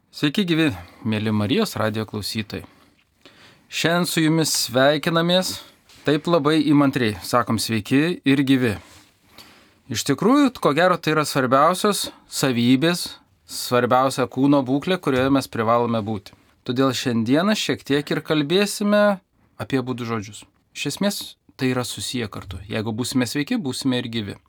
Sveiki gyvi, mėly Marijos radijo klausytojai. Šiandien su jumis sveikinamės, taip labai įmantriai, sakom sveiki ir gyvi. Iš tikrųjų, ko gero, tai yra svarbiausios savybės, svarbiausia kūno būklė, kurioje mes privalome būti. Todėl šiandieną šiek tiek ir kalbėsime apie abu žodžius. Iš esmės, tai yra susiję kartu. Jeigu būsime sveiki, būsime ir gyvi.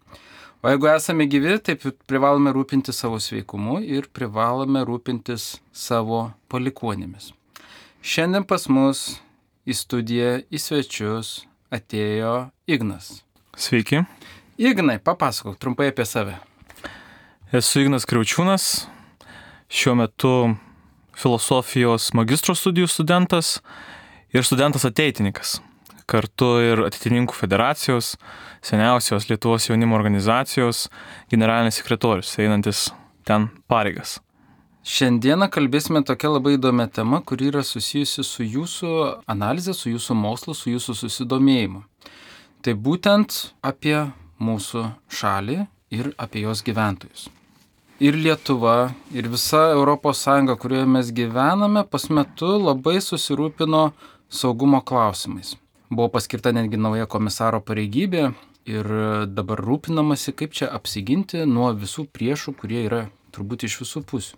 O jeigu esame gyvi, taip privalome rūpintis savo sveikumu ir privalome rūpintis savo palikuonėmis. Šiandien pas mus į studiją, į svečius atėjo Ignas. Sveiki. Ignai, papasakok trumpai apie save. Esu Ignas Kriaučiūnas, šiuo metu filosofijos magistro studijų studentas ir studentas ateitininkas. Kartu ir Ateitininkų federacijos, seniausios Lietuvos jaunimo organizacijos generalinis sekretorius, einantis ten pareigas. Šiandieną kalbėsime tokia labai įdomia tema, kuri yra susijusi su jūsų analize, su jūsų mokslu, su jūsų susidomėjimu. Tai būtent apie mūsų šalį ir apie jos gyventojus. Ir Lietuva, ir visa Europos Sąjunga, kurioje mes gyvename, pas metu labai susirūpino saugumo klausimais. Buvo paskirta netgi nauja komisaro pareigybė ir dabar rūpinamasi, kaip čia apsiginti nuo visų priešų, kurie yra turbūt iš visų pusių.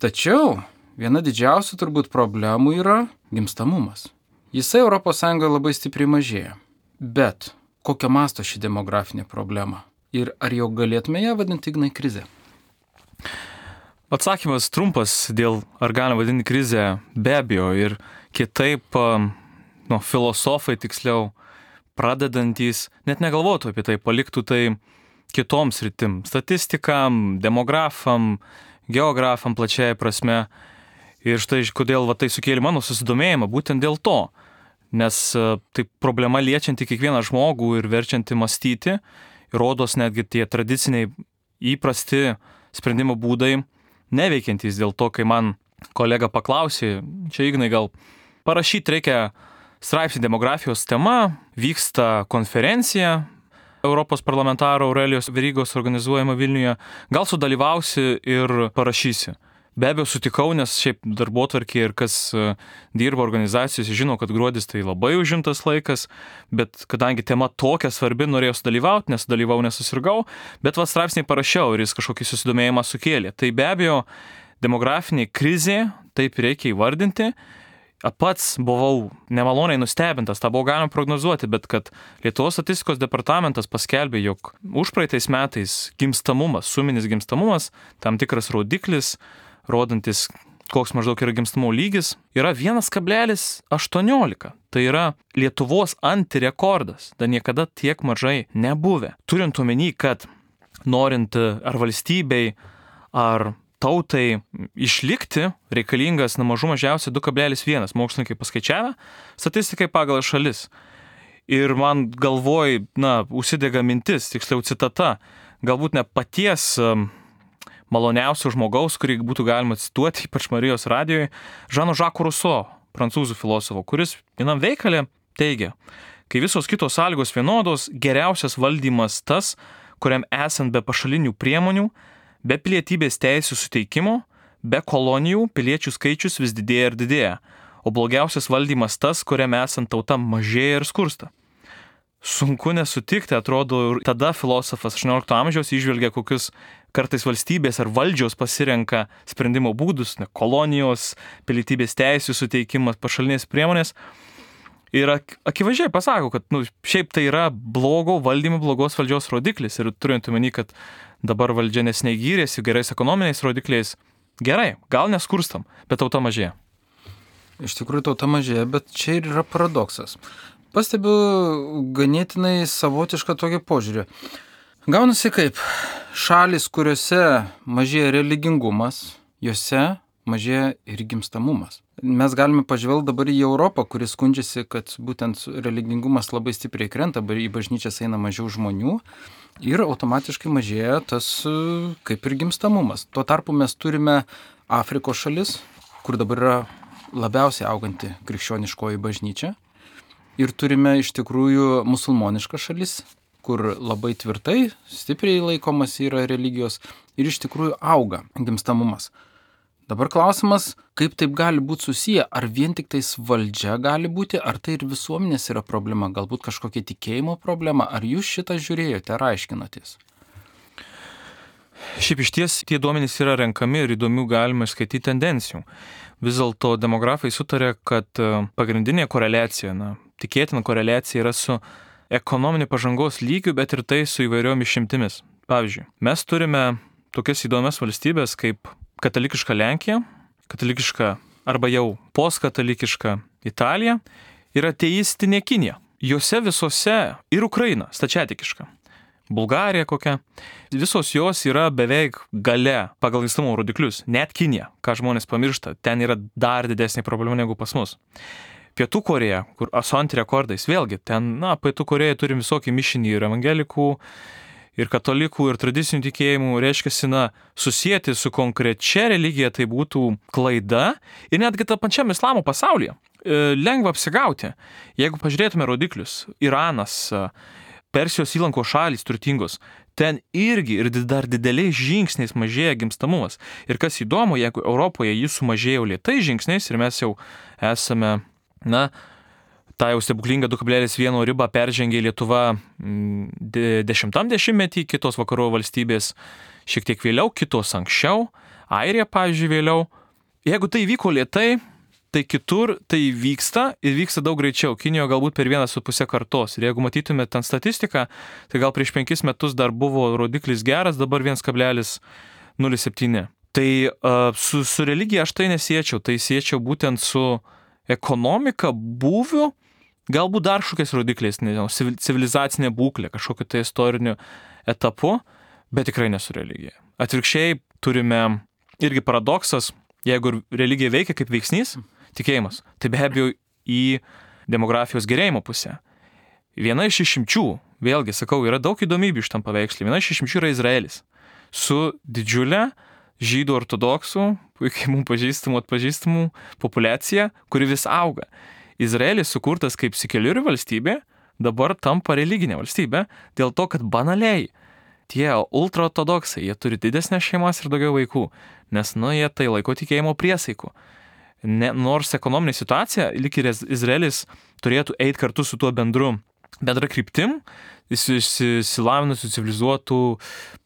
Tačiau viena didžiausių turbūt problemų yra gimstamumas. Jisai ES labai stipriai mažėja. Bet kokio masto ši demografinė problema? Ir ar jau galėtume ją vadinti, Ignai, krize? Atsakymas trumpas dėl ar galima vadinti krizę, be abejo, ir kitaip filosofai tiksliau pradedantys net negalvotų apie tai, paliktų tai kitoms sritim, statistikam, demografam, geografam plačiai prasme. Ir štai kodėl tai sukėlė mano susidomėjimą, būtent dėl to, nes tai problema liečianti kiekvieną žmogų ir verčianti mąstyti, ir rodos netgi tie tradiciniai įprasti sprendimo būdai neveikiantys. Dėl to, kai man kolega paklausė, čia Ignai gal parašyti reikia straipsnį demografijos tema, vyksta konferencija Europos parlamentaro Aurelijos Verygos organizuojama Vilniuje, gal sudalyvausi ir parašysi. Be abejo sutikau, nes šiaip darbotvarkė ir kas dirba organizacijose žino, kad gruodis tai labai užimtas laikas, bet kadangi tema tokia svarbi, norėjau sudalyvauti, nesusirgau, bet straipsnį parašiau ir jis kažkokį susidomėjimą sukėlė. Tai be abejo demografinė krizė, taip reikia įvardinti. Pats buvau nemaloniai nustebintas, tą buvo galima prognozuoti, bet kad Lietuvos statistikos departamentas paskelbė, jog užpraeitais metais gimstamumas, suminis gimstamumas, tam tikras rodiklis, rodantis, koks maždaug yra gimstamumo lygis, yra 1,18. Tai yra Lietuvos antirekordas, dar niekada tiek mažai nebuvę. Turint omeny, kad norint ar valstybei, ar tautai išlikti reikalingas mažiausiai 2,1, mokslininkai paskaičiavę, statistikai pagal šalis. Ir man galvoj, užsidega mintis, tiksliau citata, galbūt ne paties maloniausio žmogaus, kurį būtų galima cituoti, ypač Marijos radijoje, Žano Žako Ruso, prancūzų filosofo, kuris vienam veikale teigia, kai visos kitos sąlygos vienodos, geriausias valdymas tas, kuriam esant be pašalinių priemonių, be pilietybės teisių suteikimo, be kolonijų piliečių skaičius vis didėja ir didėja, o blogiausias valdymas tas, kuriam esant tauta mažėja ir skursta. Sunku nesutikti, atrodo, ir tada filosofas 18 amžiaus įžvelgia, kokius kartais valstybės ar valdžios pasirenka sprendimo būdus, kolonijos, pilietybės teisių suteikimas, pašalinės priemonės. Ir akivaizdžiai pasako, kad šiaip tai yra blogo valdymo, blogos valdžios rodiklis. Ir turint omeny, kad dabar valdžia neseniai gyrėsi gerais ekonominiais rodikliais, gerai, gal neskurstam, bet tauta mažėja. Iš tikrųjų tauta mažėja, bet čia ir yra paradoksas. Pastebiu ganėtinai savotišką tokį požiūrį. Gaunasi kaip šalis, kuriuose mažėja religingumas, juose mažėja ir gimstamumas. Mes galime pažvelgti dabar į Europą, kuris skundžiasi, kad būtent religingumas labai stipriai krenta, į bažnyčias eina mažiau žmonių ir automatiškai mažėja tas kaip ir gimstamumas. Tuo tarpu mes turime Afrikos šalis, kur dabar yra labiausiai auganti krikščioniškoji bažnyčia, ir turime iš tikrųjų musulmonišką šalis, kur labai tvirtai, stipriai laikomas yra religijos ir iš tikrųjų auga gimstamumas. Dabar klausimas, kaip taip gali būti susiję, ar vien tik tais valdžia gali būti, ar tai ir visuomenės yra problema, galbūt kažkokia tikėjimo problema, ar jūs šitą žiūrėjote ar aiškinotės? Šiaip iš ties tie duomenys yra renkami ir įdomių galima išskaityti tendencijų. Vis dėlto demografai sutarė, kad pagrindinė koreliacija, tikėtina koreliacija yra su ekonominė pažangos lygiu, bet ir tai su įvairiom išimtimis. Pavyzdžiui, mes turime tokias įdomias valstybės kaip katalikiška Lenkija, katalikiška arba jau postkatalikiška Italija ir ateistinė Kinija. Jose visose ir Ukraina, stačiatikiška. Bulgarija kokia, visos jos yra beveik gale pagal gimstamumo rodiklius, net Kinija, ką žmonės pamiršta, ten yra dar didesnė problema negu pas mus. Pietų Korėja, kur su antirekordais, vėlgi, ten, Pietų Korėja turim visokį mišinį ir evangelikų, ir katalikų, ir tradicinių tikėjimų, reiškia, susijęti su konkrečia religija tai būtų klaida ir netgi tą pačiam islamo pasaulyje. Lengva apsigauti, jeigu pažiūrėtume rodiklius, Iranas, Persijos įlanko šalys turtingos, ten irgi ir dar dideliais žingsniais mažėja gimstamumas. Ir kas įdomu, jeigu Europoje jis sumažėjo lėtais žingsniais ir mes jau esame, tą jau stebuklingą 2,1 ribą peržengė Lietuva 10-metį, kitos vakarų valstybės šiek tiek vėliau, kitos anksčiau, Airija, pavyzdžiui, vėliau. Jeigu tai vyko lėtai, tai kitur tai vyksta ir vyksta daug greičiau. Kinijoje galbūt per 1,5 kartos. Ir jeigu matytume ten statistiką, tai gal prieš 5 metus dar buvo rodiklis geras, dabar 1,07. Tai su religija aš tai nesiečiau. Tai siečiau būtent su ekonomika, būviu, galbūt dar kažkokiais rodikliais, nežinau, civilizacinė būklė, kažkokiu tai istoriniu etapu, bet tikrai ne su religija. Atvirkščiai turime irgi paradoksas, jeigu religija veikia kaip veiksnys, tikėjimas, tai be abejo į demografijos gerėjimo pusę. Viena iš išimčių, vėlgi sakau, yra daug įdomybių iš tam paveikslį, viena iš išimčių yra Izraelis su didžiulė žydų ortodoksų, puikiai mums atpažįstamų populiacija, kuri vis auga. Izraelis sukurtas kaip sekeliuri valstybė, dabar tampa religinė valstybė, dėl to, kad banaliai tie ultraortodoksai, jie turi didesnės šeimas ir daugiau vaikų, nes, jie tai laiko tikėjimo priesaiku. Nors ekonominė situacija, lyg ir Izraelis turėtų eiti kartu su tuo bendra kryptim, išsilavinusių, civilizuotų,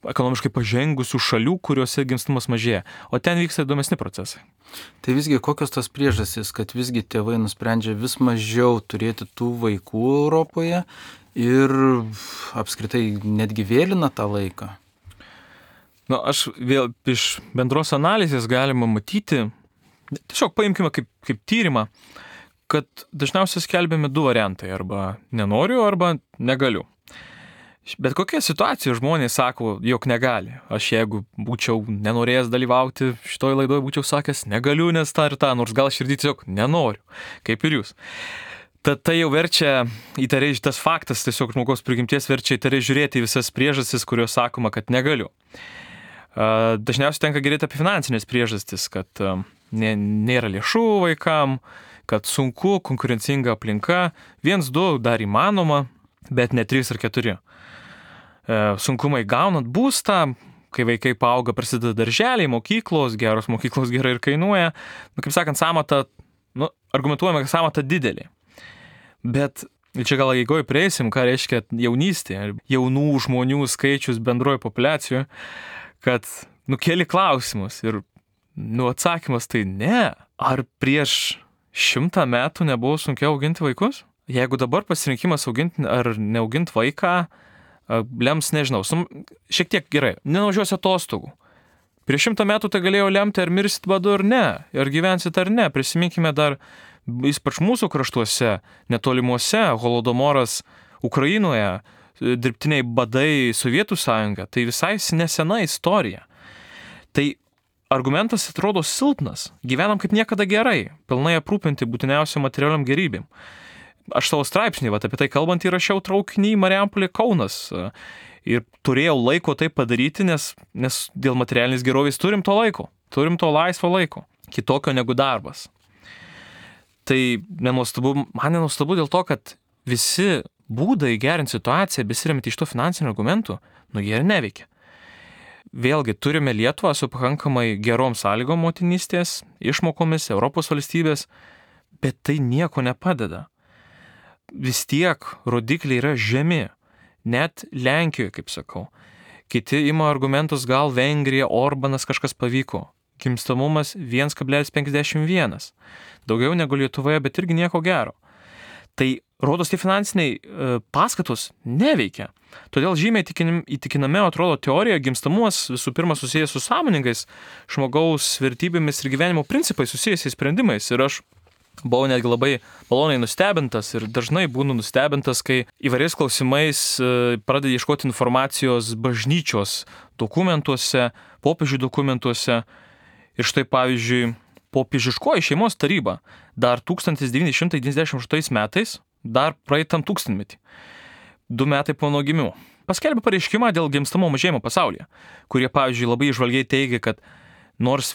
ekonomiškai pažengusių šalių, kuriuose gimstamumas mažėja. O ten vyksta įdomesni procesai. Tai visgi kokios tas priežastys, kad visgi tėvai nusprendžia vis mažiau turėti tų vaikų Europoje ir apskritai netgi vėlina tą laiką? Aš vėl iš bendros analizės galima matyti, tiesiog paimkime kaip tyrimą, kad dažniausiai skelbiami 2 variantai, arba nenoriu, arba negaliu. Bet kokia situacija žmonės sako, jog negali. Aš jeigu būčiau nenorėjęs dalyvauti šitoj laidoje, būčiau sakęs, negaliu, nes tą ir tą, nors gal širdį tiesiog nenoriu, kaip ir jūs. Tad tai jau verčia įtariai, šitas faktas tiesiog žmogaus prigimties verčia įtariai žiūrėti į visas priežastis, kurios sakoma, kad negaliu. Dažniausiai tenka girdėti apie finansinės priežastis, kad nėra lėšų vaikam, kad sunku, konkurencinga aplinka, 1-2 dar įmanoma, bet ne 3 ar 4. Sunkumai gaunant būstą, kai vaikai paauga, prasideda darželiai, mokyklos, geros mokyklos gerai ir kainuoja. Kaip sakant, samata, argumentuojame, kad samata didelė. Bet čia gal eigoje prieisim, ką reiškia jaunystė, jaunų žmonių skaičius bendroje populiacijoje, kad keli klausimus ir atsakymas tai ne. Ar prieš 100 metų nebuvo sunkiau auginti vaikus? Jeigu dabar pasirinkimas auginti ar neauginti vaiką, lems, nežinau, šiek tiek gerai, nenuvažiuosi atostogų. Prieš 100 metų tai galėjo lemti, ar mirsit badu ar ne, ar gyvensit ar ne. Prisiminkime dar, ypač mūsų kraštuose, netolimuose, holodomoras Ukrainoje, dirbtiniai badai Sovietų sąjunga, tai visai nesena istorija. Tai argumentas atrodo silpnas, gyvenam kaip niekada gerai, pilnai aprūpinti būtiniausiam materialiam gerybėm. Aš savo straipsnį, apie tai kalbant, įrašiau traukinį Marijampolė Kaunas ir turėjau laiko tai padaryti, nes dėl materialinės gerovės turim to laiko, turim to laisvo laiko, kitokio negu darbas. Tai man nenuostabu dėl to, kad visi būdai gerinti situaciją, besiremiant iš to finansinių argumentų, jie ir neveikia. Vėlgi, turime Lietuvą su pakankamai gerom sąlygom motinystės, išmokomis, Europos valstybės, bet tai nieko nepadeda. Vis tiek rodikliai yra žemi, net Lenkijoje, kaip sakau. Kiti ima argumentus, gal Vengrija, Orbanas kažkas pavyko. Gimstamumas 1,51. Daugiau negu Lietuvoje, bet irgi nieko gero. Tai rodos tie finansiniai paskatos neveikia. Todėl žymiai įtikinamiau atrodo teorija, gimstamumas visų pirma susijęs su sąmoningais žmogaus vertybėmis ir gyvenimo principais susijusiais sprendimais. Ir aš buvau netgi labai maloniai nustebintas ir dažnai būnu nustebintas, kai įvairiais klausimais pradeda ieškoti informacijos bažnyčios dokumentuose, popiežių dokumentuose. Ir štai pavyzdžiui, popiežiškoji šeimos taryba dar 1998 metais, dar praeitam tūkstantmetį, 2 metai po mano gimimo, paskelbė pareiškimą dėl gimstamo mažėjimo pasaulyje, kurie, pavyzdžiui, labai įžvalgiai teigia, kad nors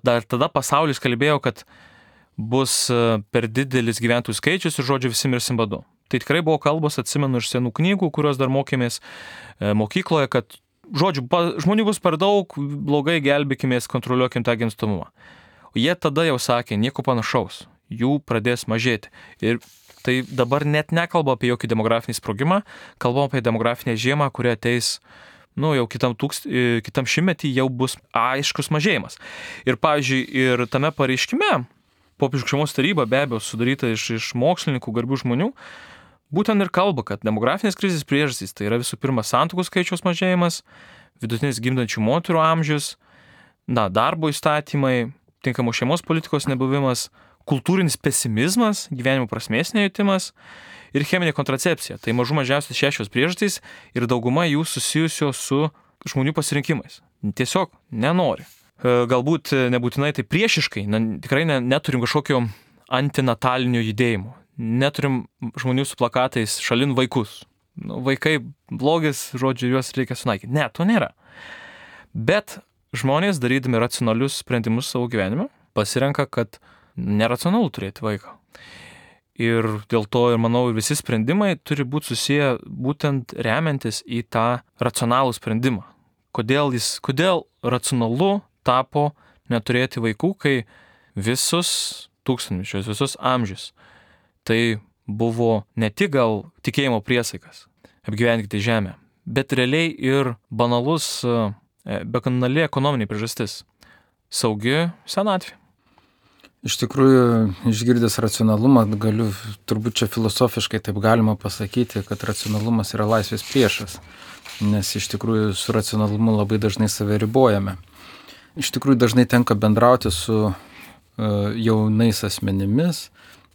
dar tada pasaulis kalbėjo, kad bus per didelis gyventojų skaičius ir žodžiu visi mirsim badu. Tai tikrai buvo kalbos, atsimenu, iš senų knygų, kurios dar mokėmės mokykloje, kad žodžiu, žmonių bus per daug, blogai gelbėkimės, kontroliuokim tą gimstamumą. O jie tada jau sakė, nieko panašaus, jų pradės mažėti. Ir tai dabar net nekalba apie jokį demografinį sprogimą, kalbam apie demografinę žiemą, kuri ateis, jau kitam šimtmetį jau bus aiškus mažėjimas. Ir pavyzdžiui, ir tame pareiškime, popiežiškos šeimos taryba be abejo sudaryta iš mokslininkų, garbių žmonių, būtent ir kalba, kad demografinės krizės priežastys tai yra visų pirma santuokų skaičiaus mažėjimas, vidutinis gimdančių moterų amžius, darbo įstatymai, tinkamos šeimos politikos nebuvimas, kultūrinis pesimizmas, gyvenimo prasmės nejutimas ir cheminė kontracepcija. Tai mažų mažiausiai 6 priežastys ir dauguma jų susijusios su žmonių pasirinkimais. Tiesiog nenori. Galbūt nebūtinai tai priešiškai, tikrai neturim kažkokio antinatalinių judėjimų. Neturim žmonių su plakatais šalin vaikus. Vaikai blogis, žodžiu, juos reikia sunaikyti. Ne, to nėra. Bet žmonės, darydami racionalius sprendimus savo gyvenime, pasirenka, kad neracionalu turėti vaiką. Ir dėl to, ir manau, visi sprendimai turi būti susiję būtent remiantis į tą racionalų sprendimą. Kodėl racionalu tapo neturėti vaikų, kai visus tūkstantmečius, visus amžius tai buvo ne tik gal tikėjimo priesaikas, apgyvenkite žemę, bet realiai ir banali ekonominė priežastis. Saugi senatvė. Iš tikrųjų, išgirdęs racionalumą, galiu turbūt čia filosofiškai taip galima pasakyti, kad racionalumas yra laisvės priešas, nes iš tikrųjų su racionalumu labai dažnai save ribojame. Iš tikrųjų dažnai tenka bendrauti su jaunais asmenimis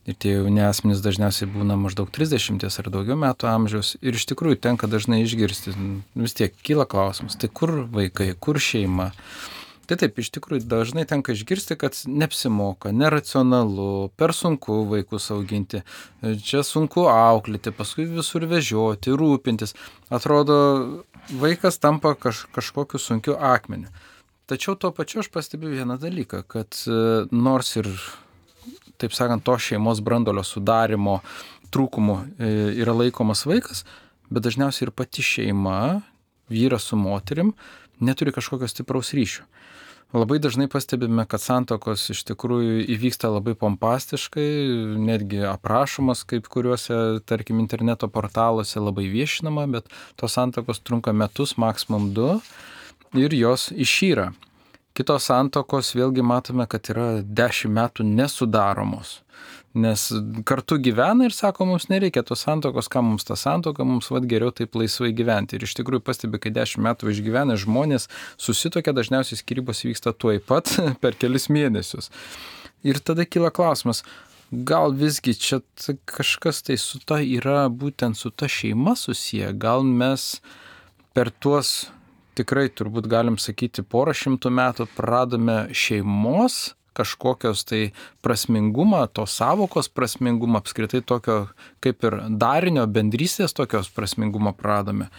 ir tie jauni asmenys dažniausiai būna maždaug 30 ar daugiau metų amžiaus ir iš tikrųjų tenka dažnai išgirsti, vis tiek kyla klausimas, tai kur vaikai, kur šeima? Tai taip, iš tikrųjų dažnai tenka išgirsti, kad neapsimoka, neracionalu, per sunku vaikus auginti, čia sunku auklėti, paskui visur vežioti, rūpintis. Atrodo, vaikas tampa kažkokiu sunkiu akmeniu. Tačiau tuo pačiu aš pastebiu vieną dalyką, kad nors ir, taip sakant, to šeimos branduolio sudarimo trūkumu yra laikomas vaikas, bet dažniausiai ir pati šeima, vyras su moterim, neturi kažkokio stipraus ryšio. Labai dažnai pastebime, kad santuokos iš tikrųjų įvyksta labai pompastiškai, netgi aprašomas kaip kuriuose, tarkim, interneto portaluose labai viešinama, bet tos santuokos trunka metus, maksimum 2 ir jos išyra. Kitos santuokos vėlgi matome, kad yra 10 metų nesudaromos, nes kartu gyvena ir sako, mums nereikia tos santuokos, ką mums ta santuoka, mums geriau taip laisvai gyventi. Ir iš tikrųjų pastebi, kai 10 metų išgyvena žmonės susitokia, dažniausiai skyrybos vyksta tuoj pat per kelis mėnesius. Ir tada kyla klausimas, gal visgi čia kažkas tai su ta yra būtent su ta šeima susiję, gal mes per tuos tikrai turbūt galim sakyti 100 metų pradame šeimos kažkokios tai prasmingumą, tos savokos prasmingumą, apskritai tokio kaip ir darinio bendrystės tokios prasmingumą pradame.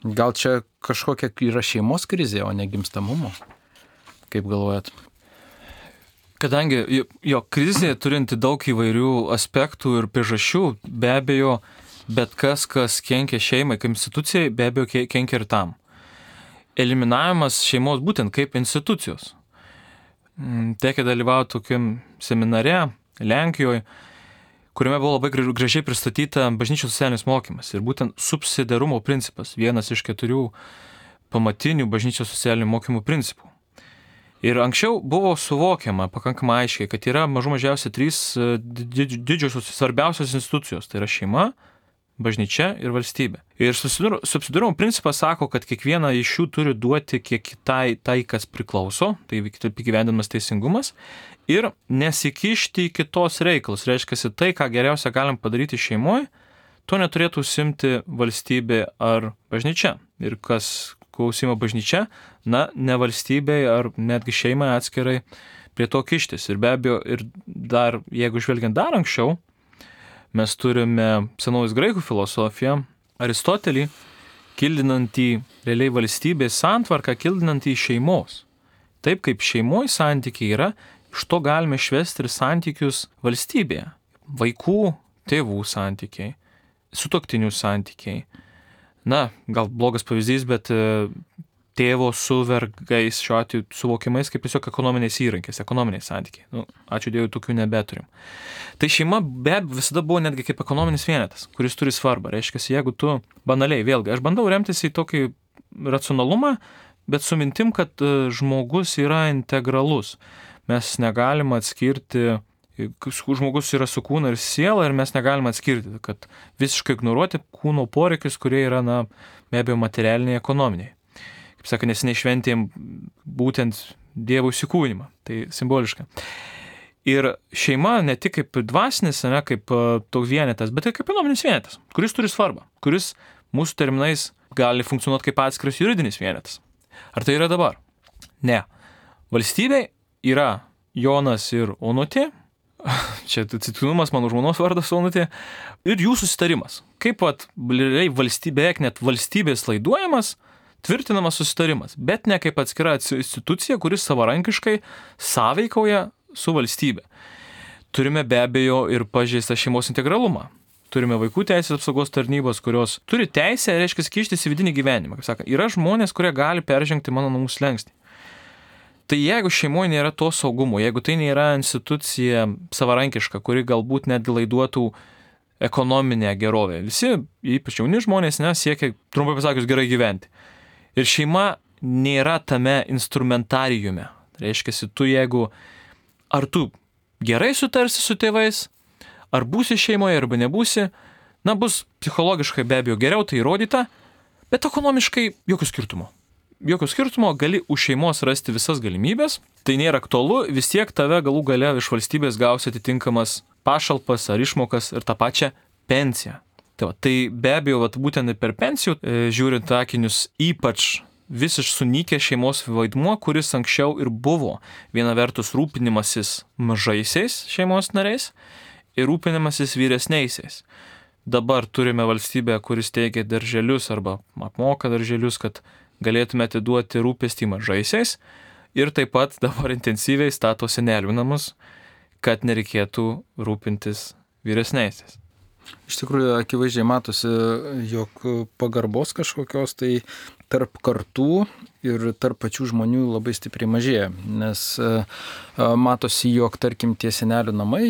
Gal čia kažkokia yra šeimos krizė, o ne gimstamumo? Kaip galvojat? Kadangi jo krizė turinti daug įvairių aspektų ir priežasčių, be abejo, bet kas kenkia šeimai kaip institucijai, be abejo kenkia ir tam. eliminavimas šeimos būtent kaip institucijos. Tekia dalyvauti tokiam seminare Lenkijoje, kuriame buvo labai gražiai pristatyta bažnyčios socialinis mokymas ir būtent subsidiarumo principas, vienas iš 4 pamatinių bažnyčios socialinių mokymų principų. Ir anksčiau buvo suvokiama pakankamai aiškiai, kad yra mažiausiai 3 didžiosios svarbiausios institucijos, tai yra šeima, bažnyčia ir valstybė. Ir subsidiarumo principas sako, kad kiekviena iš jų turi duoti kiek tai kas priklauso, tai įgyvendinamas teisingumas, ir nesikišti į kitos reikalus. Reiškia, tai, ką geriausia galim padaryti šeimoje, to neturėtų užsiimti valstybė ar bažnyčia. Ir kas klausimo bažnyčia, ne valstybei ar netgi šeimai atskirai prie to kištis. Ir be abejo, ir dar, jeigu žvelgiant dar anksčiau, mes turime senovės graikų filosofiją, Aristotelį, kildinantį realiai valstybės santvarką, kildinantį šeimos. Taip kaip šeimoje santykiai yra, iš to galime švesti ir santykius valstybėje. Vaikų, tėvų santykiai, sutuoktinių santykiai. Gal blogas pavyzdys, bet tėvo su vergais šiuo atveju suvokiamais kaip tiesiog ekonominiais įrankiais, ekonominiai santykiai. Ačiū Dievui, tokių nebeturim. Tai šeima be abejo visada buvo netgi kaip ekonominis vienetas, kuris turi svarbą. Reiškia, jeigu tu banaliai, vėlgi, aš bandau remtis į tokį racionalumą, bet su mintim, kad žmogus yra integralus. Mes negalim atskirti, žmogus yra su kūnu ir siela ir mes negalim atskirti, kad visiškai ignoruoti kūno poreikius, kurie yra, be abejo, materialiniai, ekonominiai. Kaip sako, neseniai šventėm būtent Dievo įsikūnymą, tai simboliška. Ir šeima ne tik kaip dvasinis, kaip toks vienetas, bet ir kaip ekonominis vienetas, kuris turi svarbą, kuris mūsų terminais gali funkcionuoti kaip atskiras juridinis vienetas. Ar tai yra dabar? Ne. Valstybė yra Jonas ir Onutė, čia atsitiktinumas, mano žmonos vardas Onutė, ir jų susitarimas. Kaip beveik net valstybės laiduojamas, tvirtinamas susitarimas, bet ne kaip atskira institucija, kuris savarankiškai sąveikauja su valstybė. Turime be abejo ir pažeistą šeimos integralumą. Turime vaikų teisės apsaugos tarnybos, kurios turi teisę, reiškia, kištis į vidinį gyvenimą. Kaip saka, yra žmonės, kurie gali peržengti mano namų slenkstį. Tai jeigu šeimoje nėra to saugumo, jeigu tai nėra institucija savarankiška, kuri galbūt netgi laiduotų ekonominę gerovę, visi, ypač jauni žmonės, siekia, trumpai pasakius, gerai gyventi. Ir šeima nėra tame instrumentarijume. Reiškia, ar tu gerai sutarsi su tėvais, ar būsi šeimoje, arba nebūsi, bus psichologiškai be abejo geriau, tai įrodyta, bet ekonomiškai jokio skirtumo. Jokio skirtumo, gali už šeimos rasti visas galimybės, tai nėra aktualu, vis tiek tave galų gale iš valstybės gausi atitinkamas pašalpas ar išmokas ir tą pačią pensiją. Tai be abejo, būtent per pensijų, žiūrint akinius, ypač visiškai sunykė šeimos vaidmuo, kuris anksčiau ir buvo viena vertus rūpinimasis mažaisiais šeimos nariais ir rūpinimasis vyresniaisiais. Dabar turime valstybę, kuris teikia darželius arba apmoka darželius, kad galėtume atiduoti rūpestį mažaisiais ir taip pat dabar intensyviai stato senelių namus, kad nereikėtų rūpintis vyresniaisiais. Iš tikrųjų, akivaizdžiai matosi, jog pagarbos kažkokios tai tarp kartų ir tarp pačių žmonių labai stipriai mažėja, nes matosi, jog, tarkim, tie senelių namai,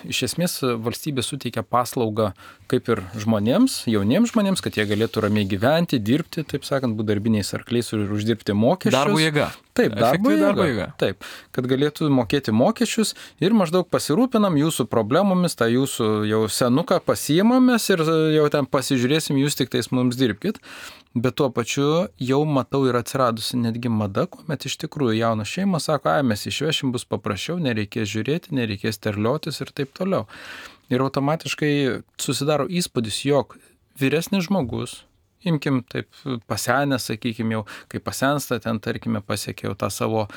iš esmės valstybė suteikia paslaugą kaip ir žmonėms, jauniems žmonėms, kad jie galėtų ramiai gyventi, dirbti, taip sakant, būti darbiniais arkliais ir uždirbti mokesčius. Darbo jėga. Taip, darbo jėga. Taip, kad galėtų mokėti mokesčius ir maždaug pasirūpinam jūsų problemomis, tą jūsų jau senuką pasiimamės ir jau ten pasižiūrėsim, jūs tik tais mums dirbkit. Bet tuo pačiu jau matau ir atsiradusi netgi mada, kuomet iš tikrųjų jaunos šeimos sako, mes išvešim, bus paprasčiau, nereikės žiūrėti, nereikės terliotis ir taip toliau. Ir automatiškai susidaro įspūdis, jog vyresnis žmogus, imkim taip pasenęs, sakykim jau, kai pasensta, ten tarkime pasiekia jau tą savo,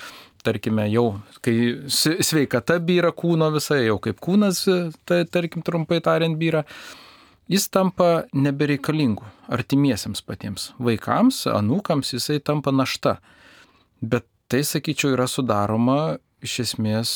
tarkime jau, kai sveikata byra kūno visai, jau kaip kūnas, tai tarkim trumpai tariant byra, jis tampa nebereikalingu artimiesiems patiems vaikams, anūkams, jisai tampa našta. Bet tai, sakyčiau, yra sudaroma iš esmės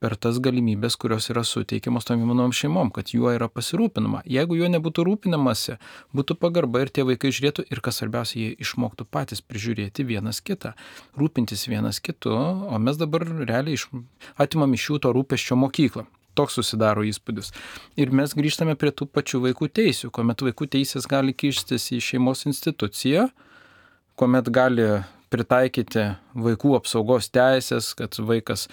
per tas galimybės, kurios yra suteikiamos tom jaunom šeimom, kad juo yra pasirūpinama. Jeigu juo nebūtų rūpinamasi, būtų pagarba ir tie vaikai žiūrėtų ir, kas svarbiausia, jie išmoktų patys prižiūrėti vienas kitą, rūpintis vienas kitu, o mes dabar realiai atimam iš jų to rūpesčio mokyklą. Toks susidaro įspūdis. Ir mes grįžtame prie tų pačių vaikų teisių, kuomet vaikų teisės gali kištis į šeimos instituciją, kuomet gali pritaikyti vaikų apsaugos teisės, kad vaikas,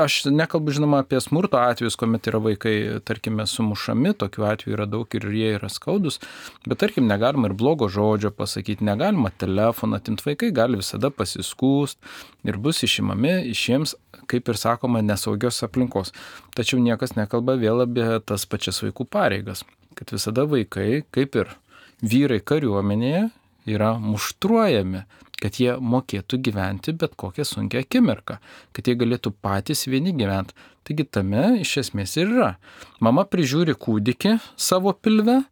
aš nekalbu žinoma apie smurto atvejus, kuomet yra vaikai, tarkime, sumušami, tokių atvejų yra daug ir jie yra skaudus, bet tarkim, negalima ir blogo žodžio pasakyti, negalima telefoną atimti, vaikai gali visada pasiskūst ir bus išimami iš jiems, kaip ir sakoma, nesaugios aplinkos. Tačiau niekas nekalba vėl apie tas pačias vaikų pareigas, kad visada vaikai, kaip ir vyrai kariuomenėje, yra muštruojami, kad jie mokėtų gyventi bet kokią sunkią akimirką, kad jie galėtų patys vieni gyventi. Taigi tame iš esmės ir yra. Mama prižiūri kūdikį savo pilve,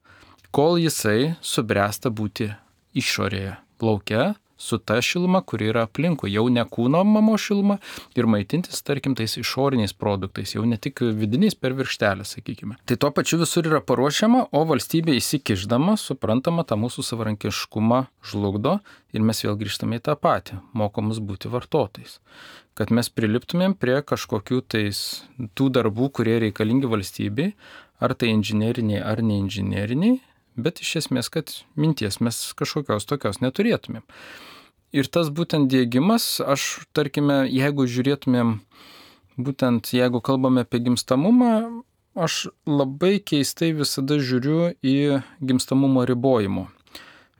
kol jisai subręsta būti išorėje, lauke, su ta šiluma, kuri yra aplinkui, jau ne kūno mamos šiluma ir maitintis, tarkim, tais išoriniais produktais, jau ne tik vidiniais per virkštelę, sakykime. Tai tuo pačiu visur yra paruošiama, o valstybė įsikišdama, suprantama, tą mūsų savarankiškumą žlugdo ir mes vėl grįžtame į tą patį, mokomus būti vartotojais. Kad mes priliptumėm prie kažkokių tais tų darbų, kurie reikalingi valstybei, ar tai inžineriniai, ar neinžineriniai, bet iš esmės, kad minties mes kažkokios tokios neturėtumėm. Ir tas būtent diegimas, aš, tarkime, jeigu žiūrėtumėm, būtent jeigu kalbame apie gimstamumą, aš labai keistai visada žiūriu į gimstamumo ribojimo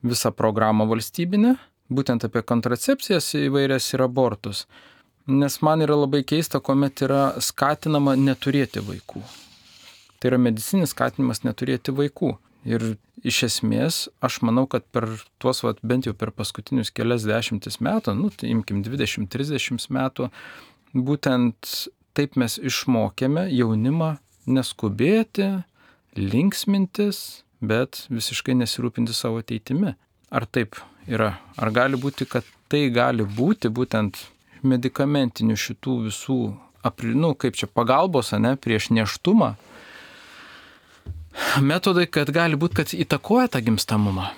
visą programą valstybinę, būtent apie kontracepcijas įvairias ir abortus. Nes man yra labai keista, kuomet yra skatinama neturėti vaikų. Tai yra medicininis skatinimas neturėti vaikų. Ir iš esmės, aš manau, kad per tuos, bent jau per paskutinius kelias dešimtis metų, tai imkim 20-30 metų, būtent taip mes išmokėme jaunimą neskubėti, linksmintis, bet visiškai nesirūpinti savo ateitimi. Ar taip yra? Ar gali būti, kad tai gali būti būtent medikamentinių šitų visų, kaip čia pagalbos, prieš nėštumą, metodai, kad gali būti, kad įtakoja tą gimstamumą?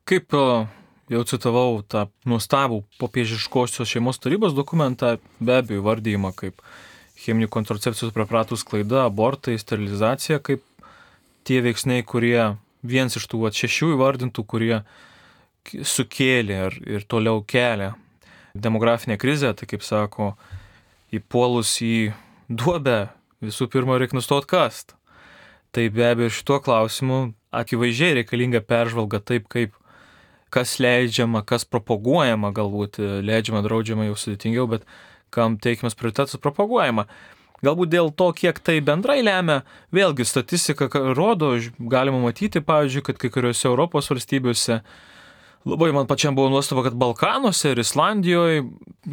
Kaip jau citavau tą nuostabų popiežiškosios šeimos tarybos dokumentą, be abejo vardijimą kaip cheminių kontracepcijos preparatų sklaida, abortai, sterilizacija, kaip tie veiksniai, kurie vienas iš tų 6 įvardintų, kurie sukėlė ir toliau kelia demografinę krizę, tai kaip sako, įpuolus į duobę, visų pirma, reikia nustoti kast. Tai be abejo šituo klausimu akivaizdžiai reikalinga peržvalga taip, kaip kas leidžiama, kas propaguojama, galbūt leidžiama, draudžiama jau sudėtingiau, bet kam teikiamas prioritetas propaguojama. Galbūt dėl to, kiek tai bendrai lemia, vėlgi statistika rodo, galima matyti, pavyzdžiui, kad kai kuriuose Europos valstybėse, labai man pačiam buvo nuostaba, kad Balkanuose ir Islandijoje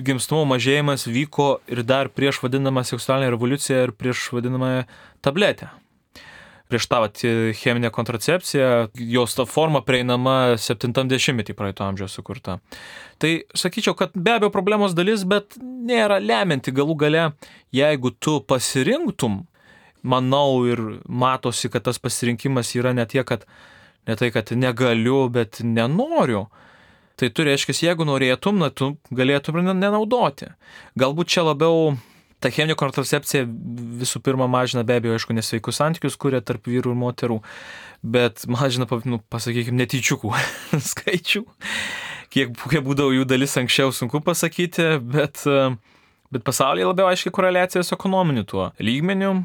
gimstamumo mažėjimas vyko ir dar prieš vadinamą seksualinę revoliuciją ir prieš vadinamą tabletę. Prieš tą cheminę kontracepciją, jos ta forma prieinama 70-metį praeito amžiaus sukurta. Tai sakyčiau, kad be abejo problemos dalis, bet nėra lemianti galų gale, jeigu tu pasirinktum, manau ir matosi, kad tas pasirinkimas yra ne tai, kad negaliu, bet nenoriu. Tai tu reiškia, jeigu norėtum, tu galėtum nenaudoti. Galbūt čia labiau ta cheminė kontracepcija visų pirma mažina be abejo, aišku, nesveikus santykius, kurie tarp vyrų ir moterų, bet mažina, pasakykime, netyčiukų skaičių. Kiek būdavo jų dalis anksčiau, sunku pasakyti, bet pasaulyje labiau aiškiai koreliacija su ekonominiu tuo lygmeniu.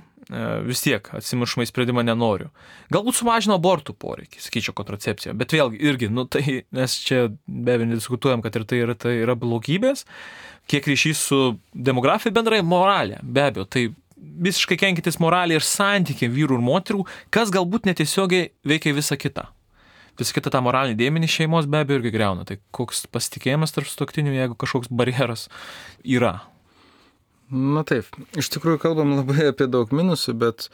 Vis tiek atsimušimą į sprendimą nenoriu. Galbūt sumažino abortų poreikį, sakyčiau, kontracepciją, bet vėlgi irgi, tai mes čia be abejo nediskutuojam, kad ir tai yra blogybės, kiek ryšys su demografija bendrai moralė, be abejo, tai visiškai kenkiantis moralė ir santykiai vyrų ir moterų, kas galbūt netiesiogiai veikia visą kitą. Visą kitą tą moralinį dėmenį šeimos be abejo irgi greuna, tai koks pasitikėjimas tarp sutuoktinių, jeigu kažkoks barjeras yra. Na taip, iš tikrųjų kalbam labai apie daug minusų, bet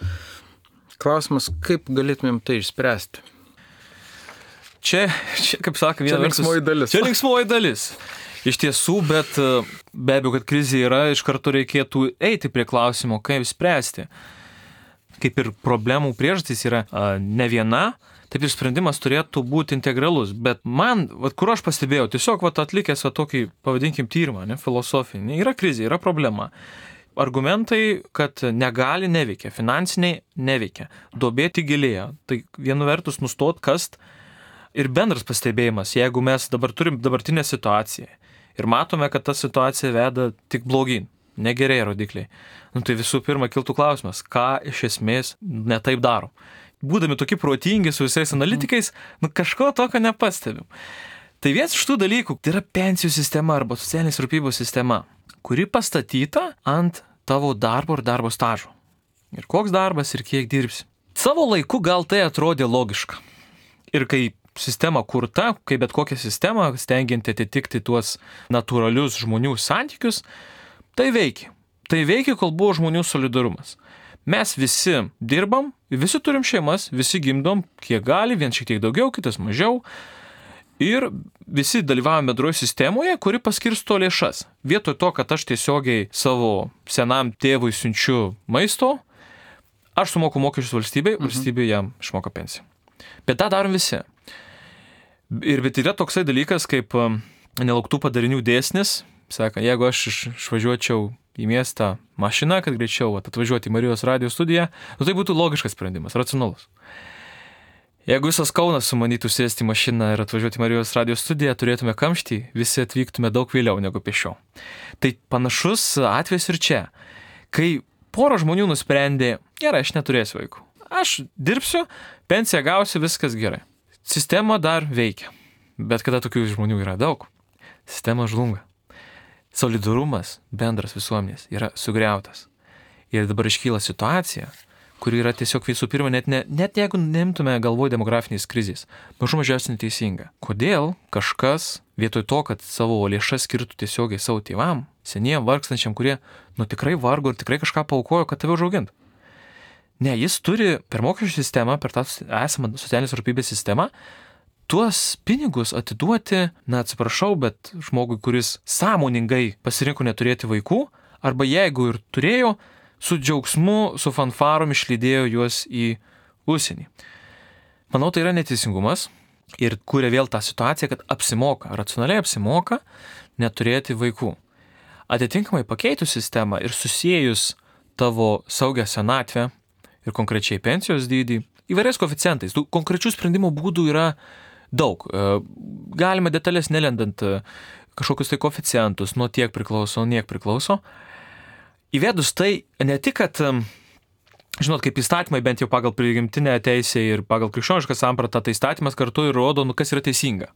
klausimas, kaip galėtumėm tai išspręsti? Čia kaip sakė, viena vertus. Linksmoji dalis. Čia linksmoji dalis. Iš tiesų, bet be abejo, kad krizė yra, iš karto reikėtų eiti prie klausimo, kaip spręsti. Kaip ir problemų priežastys yra ne viena, taip ir sprendimas turėtų būti integralus. Bet man, kur aš pastebėjau, tiesiog atlikęs tokį, pavadinkim, tyrimą, filosofinį, yra krizė, yra problema. Argumentai, kad negali, neveikia, finansiniai neveikia, duobė tik gilėja. Tai vienu vertus nustot kast ir bendras pastebėjimas, jeigu mes dabar turim dabartinę situaciją ir matome, kad ta situacija veda tik blogyn, negerėja rodikliai. Tai visų pirma kiltų klausimas, ką iš esmės netaip darom. Būdami tokie protingi su visais analitikais, kažko tokio nepastebim. Tai vienas iš tų dalykų, tai yra pensijų sistema arba socialinės rūpybos sistema, kuri pastatyta ant tavo darbo ir darbo stažo. Ir koks darbas ir kiek dirbsi. Savo laiku gal tai atrodė logiška. Ir kai sistema kurta, kaip bet kokia sistema, stengianti atitikti tuos natūralius žmonių santykius, tai veikia. Tai veikia, kol buvo žmonių solidarumas. Mes visi dirbam, visi turim šeimas, visi gimdom, kiek gali, vien šiek tiek daugiau, kitas mažiau. Ir visi dalyvavome bendroje sistemoje, kuri paskirsto lėšas. Vietoj to, kad aš tiesiogiai savo senam tėvui siunčiu maisto, aš sumoku mokesčius valstybei, valstybė jam išmoka pensiją. Bet tą darom visi. Bet yra toksai dalykas kaip nelauktų padarinių dėsnis. Saka, jeigu aš išvažiuočiau į miestą mašiną, kad greičiau atvažiuoti į Marijos radijo studiją, tai būtų logiškas sprendimas, racionalus. Jeigu visas Kaunas sumanytų sėsti į mašiną ir atvažiuoti į Marijos radijo studiją, turėtume kamštį, visi atvyktume daug vėliau negu pėsčiau. Tai panašus atvejis ir čia. Kai pora žmonių nusprendė, gerai, aš neturėsiu vaikų. Aš dirbsiu, pensiją gausiu, viskas gerai. Sistema dar veikia. Bet kada tokių žmonių yra daug, sistema žlunga. Solidarumas bendras visuomenės yra sugriautas. Ir dabar iškyla situacija, kuri yra tiesiog visų pirma, net jeigu nemtume galvoj demografinės krizės, mažų mažiausiai neteisinga. Kodėl kažkas vietoj to, kad savo lėšas skirtų tiesiogiai savo tėvam, seniem, vargstančiam, kurie tikrai vargo ir tikrai kažką paaukojo, kad tave užaugintų? Ne, jis turi per mokesčių sistemą, per tą esamą socialinės rūpybės sistemą, tuos pinigus atiduoti, atsiprašau, bet žmogui, kuris sąmoningai pasirinko neturėti vaikų, arba jeigu ir turėjo, su džiaugsmu, su fanfarom išlydėjo juos į užsienį. Manau, tai yra neteisingumas ir kuria vėl tą situaciją, kad apsimoka, racionaliai apsimoka neturėti vaikų. Atitinkamai pakeitus sistemą ir susijus tavo saugią senatvę ir konkrečiai pensijos dydį, įvairiais koeficientais, tų konkrečių sprendimų būdų yra daug. Galima detalės nelendant kažkokius tai koeficientus, nuo tiek priklauso, niek priklauso. Įvedus tai ne tik, kad, žinot, kaip įstatymai, bent jau pagal prigimtinę teisę ir pagal krikščionišką sampratą, tai įstatymas kartu ir rodo, kas yra teisinga.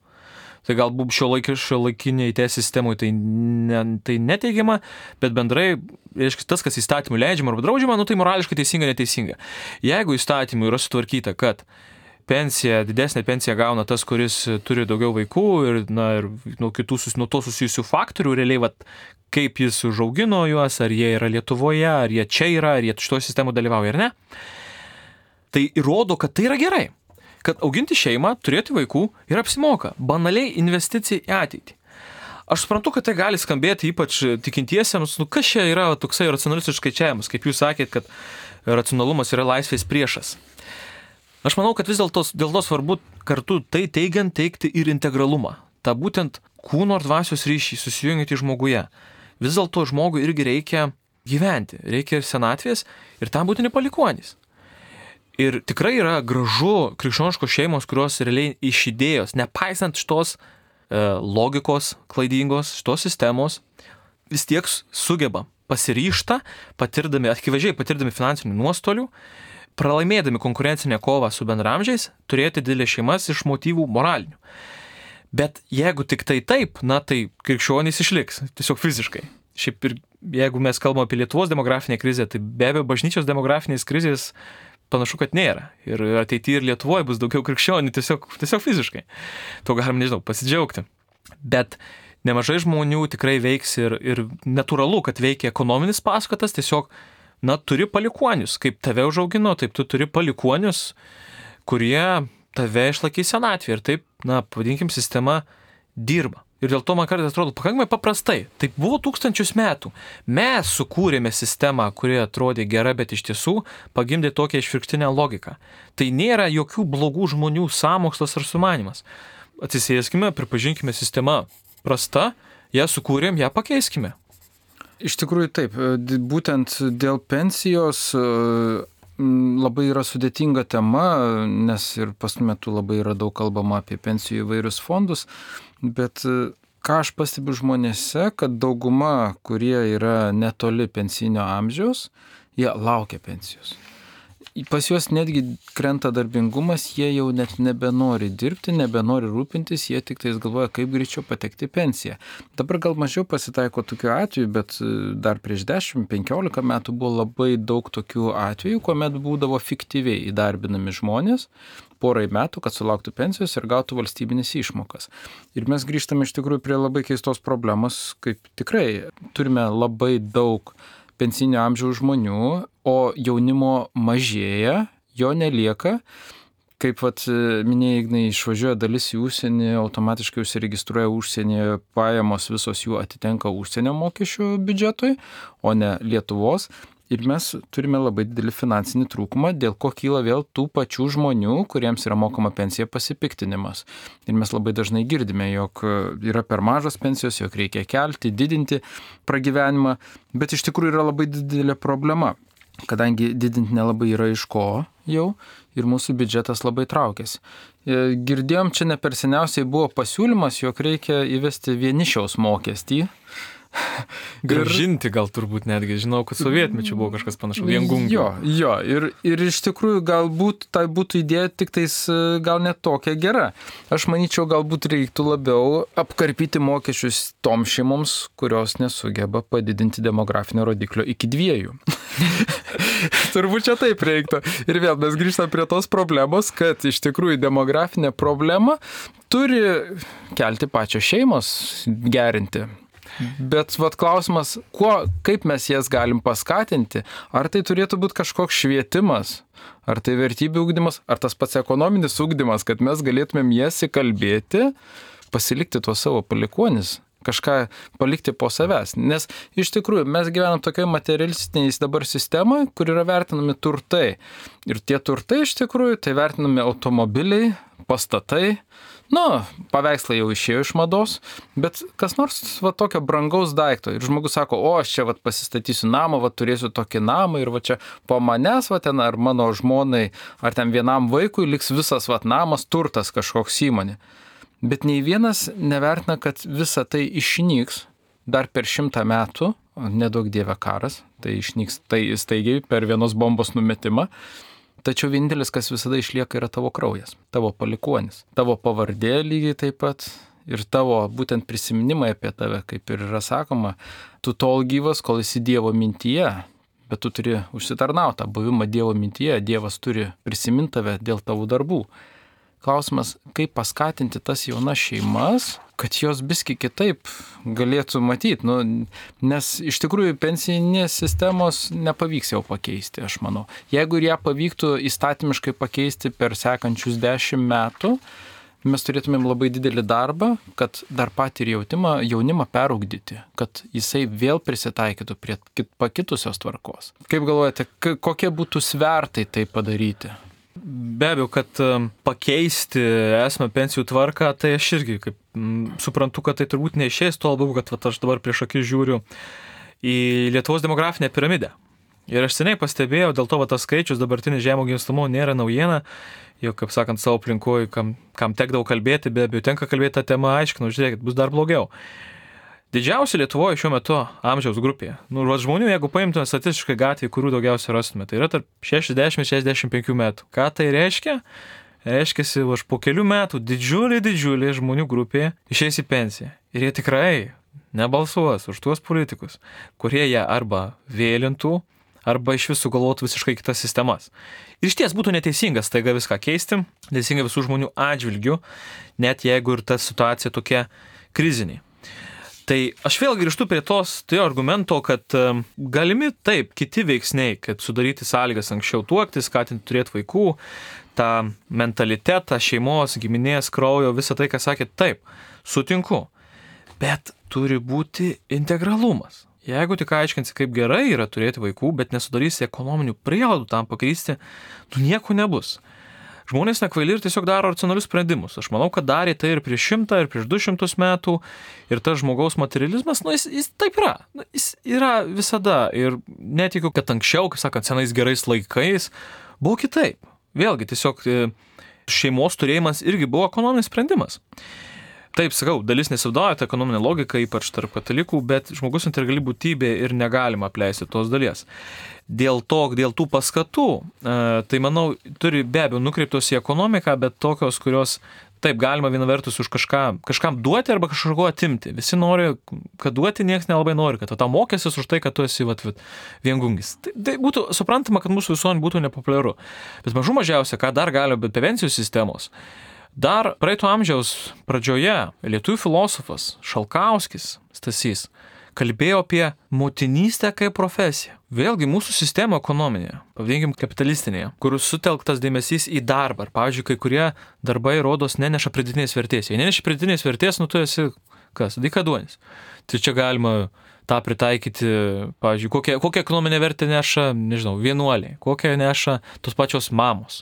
Tai galbūt šiuolaikiniai teisės sistemui tai neteigiama, bet bendrai, reiškia, tas, kas įstatymų leidžiama arba draudžiama, tai morališkai teisinga, neteisinga. Jeigu įstatymų yra sutvarkyta, kad didesnė pensija gauna tas, kuris turi daugiau vaikų ir nuo to susijusių faktorių, realiai, kaip jis užaugino juos, ar jie yra Lietuvoje, ar jie čia yra, ar jie šitoje sistemoje dalyvauja, ar ne, tai įrodo, kad tai yra gerai. Kad auginti šeimą, turėti vaikų ir apsimoka. Banaliai investicija į ateitį. Aš suprantu, kad tai gali skambėti ypač tikintiesiems, kas čia yra toksai racionalistas skaičiavimas, kaip jūs sakėt, kad racionalumas yra laisvės priešas. Aš manau, kad vis dėlto svarbu kartu tai teigiant teikti ir integralumą. Ta būtent kūno ir dvasios ryšį susijungiantį žmoguje. Vis dėlto žmogui irgi reikia gyventi, reikia ir senatvės ir tam būtini palikuonys. Ir tikrai yra gražu krikščioniškos šeimos, kurios realiai iš idėjos, nepaisant šitos logikos klaidingos, šitos sistemos, vis tiek sugeba pasiryžta, akivaizdžiai patirdami finansinių nuostolių, pralaimėdami konkurencinę kovą su bendramžiais, turėti didelės šeimas iš motyvų moralinių. Bet jeigu tik tai taip, tai krikščionys išliks, tiesiog fiziškai. Šiaip ir jeigu mes kalbame apie Lietuvos demografinę krizę, tai be abejo bažnyčios demografinės krizės panašu, kad nėra. Ir ateityje ir Lietuvoje bus daugiau krikščionių tiesiog fiziškai. To galim, pasidžiaugti. Bet nemažai žmonių tikrai veiks ir natūralu, kad veikia ekonominis paskatas, tiesiog, turi palikuonius. Kaip tave užaugino, taip tu turi palikuonius, kurie tave išlaikys senatvėje. Ir taip, pavadinkim, sistema dirba. Ir dėl to man kartais atrodo pakankamai paprastai. Tai buvo tūkstančius metų. Mes sukūrėme sistemą, kuri atrodė gera, bet iš tiesų pagimdė tokią išvirkštinę logiką. Tai nėra jokių blogų žmonių sąmokslas ar sumanimas. Atsisėskime, pripažinkime sistemą prasta, ją sukūrėm, ją pakeiskime. Iš tikrųjų taip, būtent dėl pensijos labai yra sudėtinga tema, nes ir paskutiniu metu labai yra daug kalbama apie pensijų įvairius fondus, bet ką aš pastebiu žmonėse, kad dauguma, kurie yra netoli pensinio amžiaus, jie laukia pensijos. Pas juos netgi krenta darbingumas, jie jau net nebenori dirbti, nebenori rūpintis, jie tik tais galvoja, kaip greičiau patekti į pensiją. Dabar gal mažiau pasitaiko tokių atvejų, bet dar prieš 10-15 metų buvo labai daug tokių atvejų, kuomet būdavo fiktyviai įdarbinami žmonės porai metų, kad sulauktų pensijos ir gautų valstybinės išmokas. Ir mes grįžtame iš tikrųjų prie labai keistos problemos, kaip tikrai turime labai daug pensinio amžiaus žmonių, o jaunimo mažėja, jo nelieka. Kaip minėjai, Ignai, išvažiuoja dalis į užsienį, automatiškai užsiregistruoja užsienyje, pajamos visos jų atitenka užsienio mokesčių biudžetui, o ne Lietuvos. Ir mes turime labai didelį finansinį trūkumą, dėl ko kyla vėl tų pačių žmonių, kuriems yra mokama pensija, pasipiktinimas. Ir mes labai dažnai girdime, jog yra per mažos pensijos, jog reikia kelti, didinti pragyvenimą, bet iš tikrųjų yra labai didelė problema, kadangi didinti nelabai yra iš ko jau ir mūsų biudžetas labai traukiasi. Girdėjom, čia ne per seniausiai buvo pasiūlymas, jog reikia įvesti vienišiaus mokestį. Gražinti gal turbūt netgi, žinau, kad sovietmečiu buvo kažkas panašaus, viengungio. Jo, ir iš tikrųjų galbūt tai būtų idėja tik tais gal net tokia gera. Aš manyčiau, galbūt reiktų labiau apkarpyti mokesčius tom šeimoms, kurios nesugeba padidinti demografinio rodiklio iki 2. Turbūt čia taip reiktų. Ir vėl mes grįžtame prie tos problemos, kad iš tikrųjų demografinė problema turi kelti pačios šeimos, gerinti. Bet klausimas, kaip mes jas galim paskatinti? Ar tai turėtų būti kažkoks švietimas? Ar tai vertybių ugdymas? Ar tas pats ekonominis ugdymas, kad mes galėtumėm jas įkalbėti, pasilikti tuos savo palikuonis, kažką palikti po savęs? Nes iš tikrųjų mes gyvenam tokioje materialistiniais dabar sistemoje, kur yra vertinami turtai. Ir tie turtai iš tikrųjų, tai vertinami automobiliai, pastatai. Paveikslai jau išėjo iš mados, bet kas nors tokio brangaus daikto. Ir žmogus sako, aš čia pasistatysiu namą, turėsiu tokį namą ir čia po manęs ten ar mano žmonai, ar ten vienam vaikui liks visas namas, turtas kažkoks įmonė. Bet nei vienas nevertina, kad visa tai išnyks dar per 100 metų, nedaug dieve karas, tai išnyks tai staigiai per vienos bombos numetimą. Tačiau vienintelis, kas visada išlieka, yra tavo kraujas, tavo palikuonis, tavo pavardė lygiai taip pat ir tavo būtent prisiminimai apie tave, kaip ir yra sakoma, tu tol gyvas, kol esi Dievo mintyje, bet tu turi užsitarnautą buvimą Dievo mintyje, Dievas turi prisiminti tave dėl tavo darbų. Klausimas, kaip paskatinti tas jaunas šeimas, kad jos biski kitaip galėtų matyti, nes iš tikrųjų pensijinės sistemos nepavyks jau pakeisti, aš manau. Jeigu ir ją pavyktų įstatymiškai pakeisti per sekančius 10 metų, mes turėtumėm labai didelį darbą, kad dar patį ir jaunimą perugdyti, kad jisai vėl prisitaikytų prie pakitusios tvarkos. Kaip galvojate, kokie būtų svertai tai padaryti? Be abejo, kad pakeisti esamą pensijų tvarką, tai aš irgi suprantu, kad tai turbūt neišės, tuo labiau, kad aš dabar prieš akis žiūriu į Lietuvos demografinę piramidę. Ir aš seniai pastebėjau, dėl to tas skaičius dabartinis žemo gimstamumo nėra naujiena, jau, kaip sakant, savo aplinkoje, kam tekdavo kalbėti, be abejo, tenka kalbėti tą temą, aiškinu, žiūrėkit, bus dar blogiau. Didžiausia Lietuvoje šiuo metu amžiaus grupėje. Žmonių, jeigu paimtume statistiškai gatvėje, kurių daugiausiai rastume, tai yra tarp 60-65 metų. Ką tai reiškia? Reiškiasi, po kelių metų didžiulė žmonių grupė išeis į pensiją. Ir jie tikrai nebalsuos už tuos politikus, kurie ją arba vėlintų, arba iš visų galvotų visiškai kitas sistemas. Ir iš ties būtų neteisingas taiga viską keisti, teisinga visų žmonių atžvilgių, net jeigu ir ta situacija tokia krizinė. Tai aš vėl grįžtu prie to argumento, kad galimi taip kiti veiksniai, kad sudaryti sąlygas anksčiau tuoktis, skatinti turėti vaikų, tą mentalitetą, šeimos, giminės, kraujo, visą tai, ką sakėt, taip, sutinku. bet turi būti integralumas. Jeigu tik aiškinsi, kaip gerai yra turėti vaikų, bet nesudarysi ekonominių prielaidų tam pakrysti, nieko nebus. Žmonės nekvaili ir tiesiog daro racionalius sprendimus. Aš manau, kad darė tai ir prieš 100, ir prieš 200 metų. Ir tas žmogaus materializmas, jis taip yra. Jis yra visada. Ir netikiu, kad anksčiau, kaip sakant, senais gerais laikais, buvo kitaip. Vėlgi, tiesiog šeimos turėjimas irgi buvo ekonominis sprendimas. Taip, sakau, dalis nesivadovauja tą ekonominę logiką, ypač tarp katalikų, bet žmogus integrali būtybė ir negalima apleisti tos dalies. Dėl tų paskatų, tai manau, turi be abejo nukreiptos į ekonomiką, bet tokios, kurios taip galima viena vertus už kažkam duoti arba kažko atimti. Visi nori, kad duoti, niekas nelabai nori, kad tau mokėsis už tai, kad tu esi viengungis. Tai būtų suprantama, kad mūsų visuomenė būtų nepopuliaru. Bet mažų mažiausia, ką dar galima, bet prevencijos sistemos. Dar praeito amžiaus pradžioje lietuvių filosofas Šalkauskis Stasys kalbėjo apie motinystę kaip profesiją. Vėlgi mūsų sistema ekonominė, pavadinkim kapitalistinėje, kur sutelktas dėmesys į darbą. Ir, pavyzdžiui, kai kurie darbai rodos neneša pridėtinės vertės. Jei neneša pridėtinės vertės, tu esi kas? Dykaduonis. Tai čia galima tą pritaikyti, pavyzdžiui, kokią ekonominę vertę neša, nežinau, vienuoliai, kokią neša tos pačios mamos.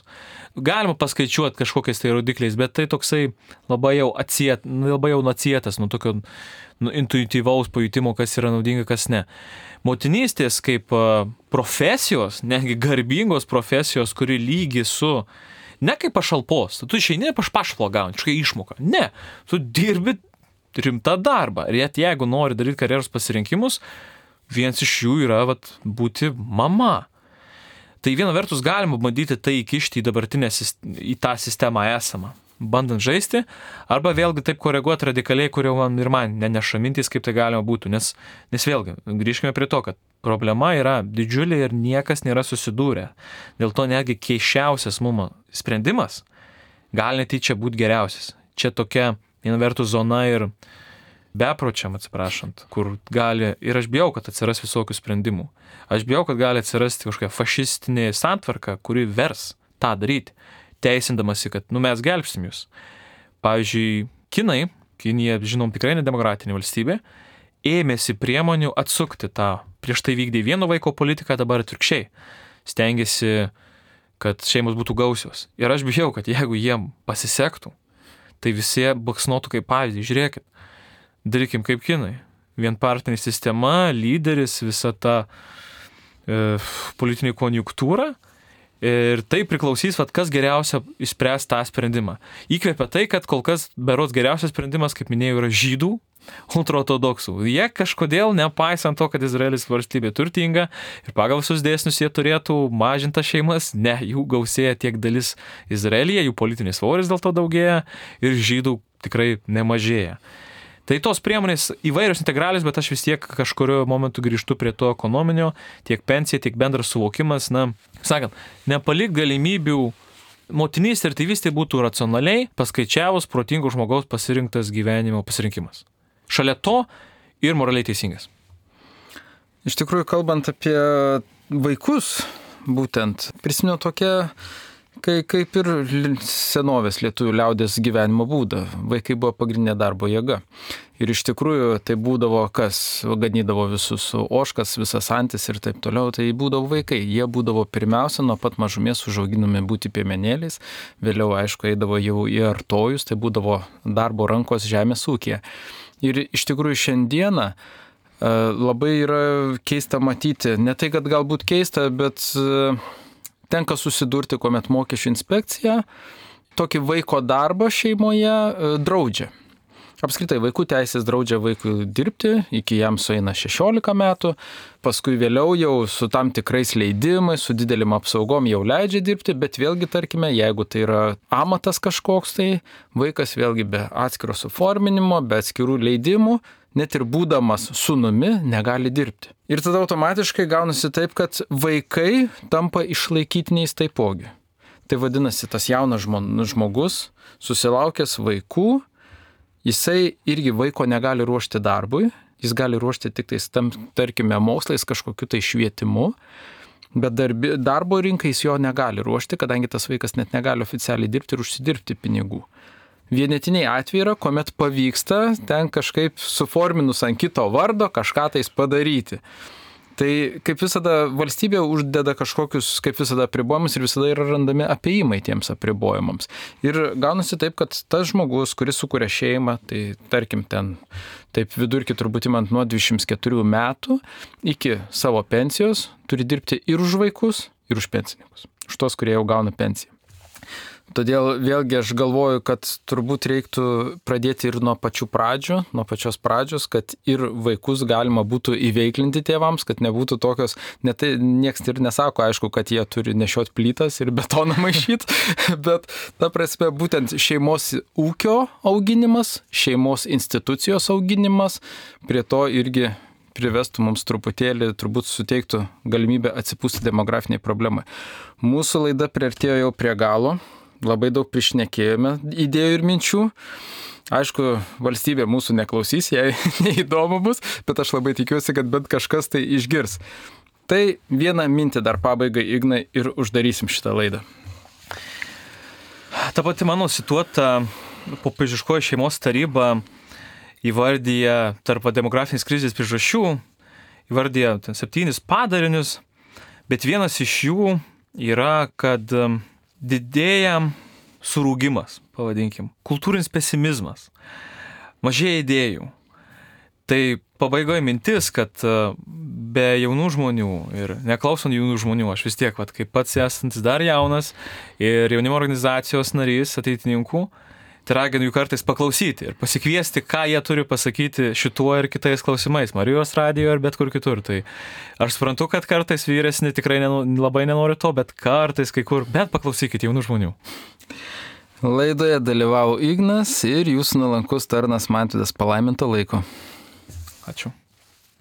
Galima paskaičiuoti kažkokiais tai rodikliais, bet tai toksai labai jau atsietas nuo tokio intuityvaus pajutimo, kas yra naudinga, kas ne. Motinystės kaip profesijos, netgi garbingos profesijos, kuri lygi su, ne kaip pašalpos, tu išeini pašalpą gauni, kažkokią išmoką. Ne, tu dirbi rimtą darbą. Ir jeigu nori daryti karjeros pasirinkimus, vienas iš jų yra būti mama. Tai viena vertus galima bandyti tai įkišti į tą sistemą esamą, bandant žaisti, arba vėlgi taip koreguoti radikaliai, kurio man neneša mintys, kaip tai galima būtų. Nes vėlgi, grįžkime prie to, kad problema yra didžiulė ir niekas nėra susidūrę. Dėl to netgi keisčiausias mum sprendimas gali netyčia būti geriausias. Čia tokia viena vertus zona ir bepročiam, atsiprašant, kur gali, ir aš bijau, kad atsiras visokių sprendimų. Aš bijau, kad gali atsirasti kažkokia fašistinė santvarka, kuri vers tą daryti, teisindamasi, kad mes gelbstim jūs. Pavyzdžiui, Kinija, žinom, tikrai nedemokratinė valstybė, ėmėsi priemonių atsukti tą, prieš tai vykdė vieno vaiko politiką, dabar atvirkščiai. Stengiasi, kad šeimos būtų gausios. Ir aš bijau, kad jeigu jiem pasisektų, tai visi baksnotų kaip pavyzdį. Žiūrėkit, darykim kaip kinai. Vienpartinė sistema, lyderis, visa ta politinė konjunktūra. Ir tai priklausys, kas geriausia išspręs tą sprendimą. Įkvepia tai, kad kol kas berods geriausias sprendimas, kaip minėjau, yra žydų ultraortodoksų. Jie kažkodėl, nepaisant to, kad Izraelis valstybė turtinga ir pagal visus dėsnius jie turėtų mažintas šeimas, ne, jų gausėja tiek dalis Izraelyje, jų politinis svoris dėl to daugėja ir žydų tikrai nemažėja. Tai tos priemonės įvairios integralios, bet aš vis tiek kažkurio momentu grįžtu prie to ekonominio, tiek pensija, tiek bendras suvokimas, nepalik galimybių motinystė ir tėvystė būtų racionaliai paskaičiavus protingo žmogaus pasirinktas gyvenimo pasirinkimas. Šalia to ir moraliai teisingas. Iš tikrųjų, kalbant apie vaikus, būtent prisimenu tokią, kaip ir senovės lietuvių liaudės gyvenimo būdą. Vaikai buvo pagrindinė darbo jėga. Ir iš tikrųjų tai būdavo kas, ganydavo visus ožkas, visas antis ir taip toliau, tai būdavo vaikai. Jie būdavo pirmiausia nuo pat mažumės užauginami būti piemenėliais, vėliau aišku eidavo jau į artojus, tai būdavo darbo rankos žemės ūkyje. Ir iš tikrųjų šiandieną labai yra keista matyti, ne tai, kad galbūt keista, bet tenka susidurti, kuomet mokesčių inspekcija tokį vaiko darbą šeimoje draudžia. Apskritai, vaikų teisės draudžia vaikui dirbti, iki jam sueina 16 metų, paskui vėliau jau su tam tikrais leidimais, su didelim apsaugom jau leidžia dirbti, bet vėlgi, tarkime, jeigu tai yra amatas kažkoks, tai vaikas vėlgi be atskiro suforminimo, be atskirų leidimų, net ir būdamas sūnumi, negali dirbti. Ir tada automatiškai gaunasi taip, kad vaikai tampa išlaikytiniais taipogi. Tai vadinasi, tas jaunas žmogus, susilaukęs vaikų, jisai irgi vaiko negali ruošti darbui, jis gali ruošti tik tais, tarkime, mokslais kažkokiu tai švietimu, bet darbo rinkai jis jo negali ruošti, kadangi tas vaikas net negali oficialiai dirbti ir užsidirbti pinigų. vienetiniai atvejai yra, kuomet pavyksta ten kažkaip suforminus ant kito vardo kažką tais padaryti. Tai kaip visada valstybė uždeda kažkokius, kaip visada apribojimus ir visada yra randami apėjimai tiems apribojimams. Ir gaunasi taip, kad tas žmogus, kuris sukuria šeimą, tai tarkim ten, taip vidurkį turbūt imant nuo 24 metų iki savo pensijos, turi dirbti ir už vaikus, ir už pensininkus. Už tos, kurie jau gauna pensiją. Todėl vėlgi aš galvoju, kad turbūt reiktų pradėti ir nuo pačių pradžių, nuo pačios pradžios, kad ir vaikus galima būtų įveiklinti tėvams, kad nebūtų tokios, nieks ir nesako, aišku, kad jie turi nešiot plytas ir betoną maišyti, bet ta prasme būtent šeimos ūkio auginimas, šeimos institucijos auginimas, prie to irgi privestų mums truputėlį, turbūt suteiktų galimybę atsipūsti demografiniai problemai. Mūsų laida priartėjo jau prie galo. Labai daug prišnekėjome idėjų ir minčių. Aišku, valstybė mūsų neklausys, jai neįdomu bus, bet aš labai tikiuosi, kad bent kažkas tai išgirs. Tai vieną mintį dar pabaigai, Ignai, ir uždarysim šitą laidą. Ta pati mano cituota popiežiškoji šeimos taryba įvardyja tarp demografinės krizės priežasčių, įvardyja 7 padarinius, bet vienas iš jų yra, kad didėja surūgimas, pavadinkim, kultūrinis pesimizmas, mažėja idėjų. Tai pabaigoje mintis, kad be jaunų žmonių ir neklausant jaunų žmonių, aš vis tiek, kaip pats esantis dar jaunas ir jaunimo organizacijos narys, ateitininkų, tai raginu jų kartais paklausyti ir pasikviesti, ką jie turi pasakyti šituo ir kitais klausimais, Marijos radijo ir bet kur kitur. Tai aš suprantu, kad kartais vyresni tikrai labai nenori to, bet kartais kai kur, bet paklausykite jaunų žmonių. Laidoje dalyvavo Ignas ir jūsų nuolankus tarnas Mantvydas. Palaiminto laiko. Ačiū.